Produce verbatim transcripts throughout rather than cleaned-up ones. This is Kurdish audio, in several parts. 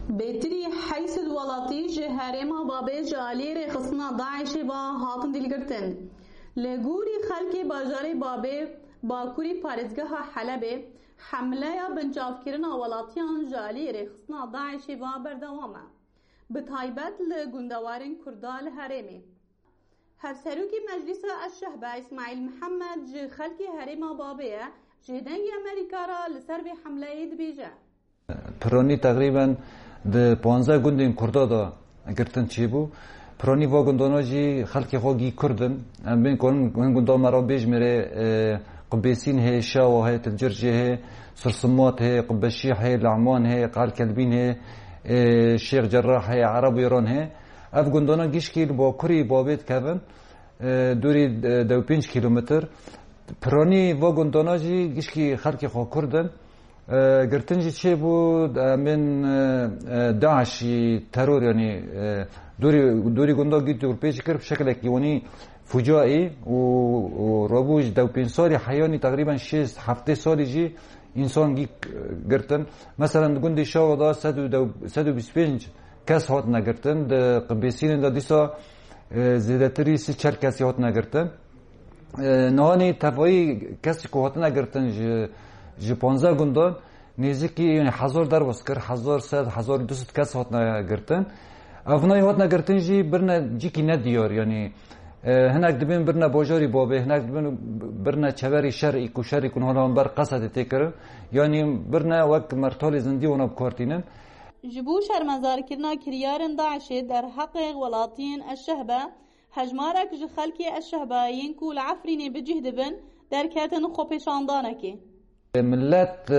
Bêtirî heyşt sed welatî ji herêma Babê ji aliyê rêxistina DAIŞê ve hatin dîlgirtin. Li gorî xelkê bajarê Babê, bakurî parêzgeha Helebê, hemleya binçavkirina welatiyan ji aliyê rêxistina DAIŞê ve berdewam e. Bi taybet li gundewarên Kurda li herêmê. Hevserokê Meclîsa Eşşehbe Îsmaîl Mihemed ji xelkê herêma Babê ye, ji Dengê Amerîka re li ser vê hemleyê dibêje. Piranî teqrîben di panzdeh gundên Kurda de girtin çêbû. Piranî va gundana jî xelkê xwe gî Kurd in. Em bên ku hin, hin gunda me re bêjmêrê, e, Qibêsîn hê, Şawa hê, Tilcircê hê, Sirsimat hê, Qibbeşîh hê, Le'man hê, Qal Kelbîn hê, e, Şêx Cerrah hê, Ereb Wêran hê. Ev gundana gişkî li bakurî Babê dikevin, e, dûrî, e, deh û pênc kîlometr. Piranî va gundana jî gişkî xelkê xwe Kurd in. E, girtin jî çêbû, em bên, e, e, DAIŞî teror, yanî, e, dûrî, dûrî gunda gît û pêç kir, bi şekilekî wanî fucaî û, û rabû ji deh û pênc salî heyanî teqrîben şêst heftê salî jî însan gî girtin. Meselen, di gundê Şawa de sed û dew, sed û bîst pênc kes hatine girtin. Di Qibêsînê de dîsa, e, zêdetirî sî çar kesî hatine girtin. E, nihanî tevayî kesî ku hatine girtin ji, ji panzdeh gundan nêzîkî, yanî hezar derbas kir, hezar sed, hezar du sed kes hatine girtin. Ev nayê hatine girtin jî birine cîkî nediyar, yanî, e, hinek dibên birine bajarî Babê, hinek dibên birine çeverî şer, î ku şerî ku niha li hember Qesedê tê kirin, yanî birine wek mertalê zindî wana bi kar tînin. Ji bo şermezarkirina kiryarên DAIŞê derheqê welatiyên Eşşehbe, hejmarek ji xelkê Eşşehbe yên ku li Efrînê bi cih dibin, derketin xwepêşandanekê. Millet, e,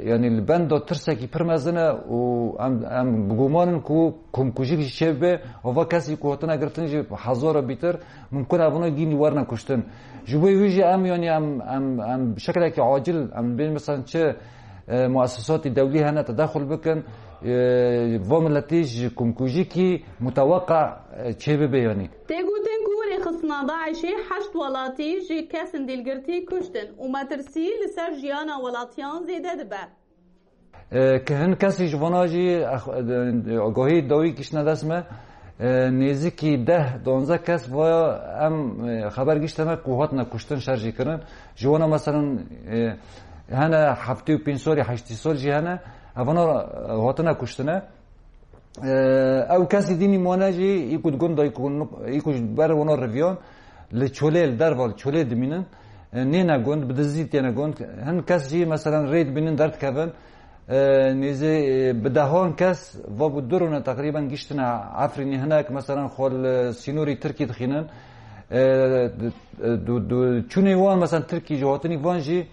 yanî li benda tirsekî pir mezin e û em, em bi guman in ku komkujîk jî çêbibe, û va kesî ku hatine girtin jî hezara bîtir, mimkun e evana gînî werine kuştin. Ji bo wî jî em, yanî em, em, em bi şekilekî acil, em bên mesela çi, e, muessesatî dewlî hene tedexul bikin, e, va miletî ji komkujîkî muteweqa, e, çêbibe yanî. Tê gotin ku rêxistina DAIŞê heşt welatî ji kesên dîlgirtî kuştin û metirsî li ser jiyana welatiyan zêde dibe. E, ke hin kesî ji vana jî, ex-, e, agahî dawî kiştine dest me, e, nêzîkî deh, duwazdeh kes va em, e, xeber giştine ku hatine kuştin, şer jî kirin. Ji wana meselen, e, hene heftê û pênc salî, heştî sal jî hene, evana, e, hatine kuştine. E, ew kesî dînî mane jî, î ku di gund de, î ku nuk-, î ku ji ber wana riviyan, li çolê, li derva, li çolê dimînin. E, nêne gund, bi dizî têne gund. Hin kes jî, meselen, rê dibînin, derdikevin. E, nêzî, e, bi dehan kes, va bû du rûne teqrîben giştine Efrînê. Hinek, meselen, xwe li sînorî Tirkî dixînin. E, du, du, du, çûnê wan, meselen, Tirkî jî, hatinî van jî,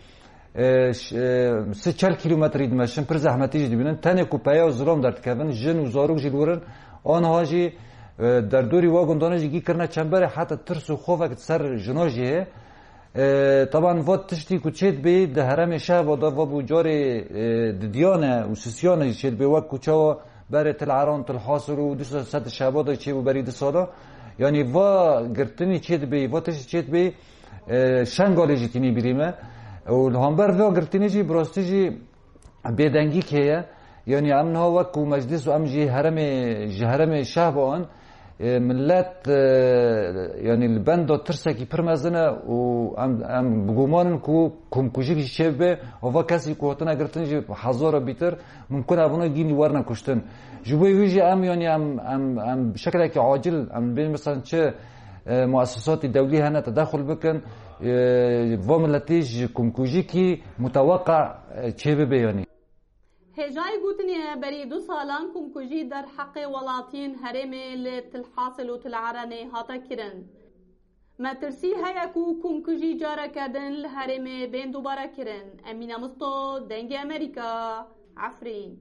e, ş-, e, sê çar kîlometrî dimeşin, pir zehmetî jî dibînin. Tenê ku peya û zilam derdikevin, jin û zarok jî li wir in. Aniha jî, e, derdorî wa gundane jî gî kirine çemberê, heta tirs û xovek ser jina jî heye. E, teban va tiştî ku çêdibê di herêmê Şehba de, va bû carê, e, didiyane û sisiyane jî çêdibê, wek ku çawa berê Til Eran, Til Hasil û dîsa Sed Şehba de çêbû berî du sala. Yanî va girtinî çêdibê, va tiştî çêdibê, e, Şengalê jî tînî bîrî me. Û li hember vê girtinê jî bi rastî jî bêdengîk heye. Yanî em niha wek ku meclis û em jî herêmê, ji herêmê Şehba in, e, millet, e, yanî li benda tirsekî pir mezin e û em, em bi guman in ku komkujîk jî çêbibe û va kesî ku hatine girtin jî hezara bîtir, mimkun e evana gînî werine kuştin. Ji bo wî jî em, yanî em, em, em bi şekilekî acil, em bên mesela çi, e, muessesatî dewlî hene tedexul bikin, e, va miletî ji komkujîkî muteweqa, e, çêbibe yanî. Hêjayî gotinê ye, berî du salan komkujî derheqê welatiyên herêmê li Til Hasil û Til Erenê hate kirin. Metirsî heye ku komkujî careke din li herêmê bên dubare kirin. Emîne Misto, Dengê Amerîka, Efrîn.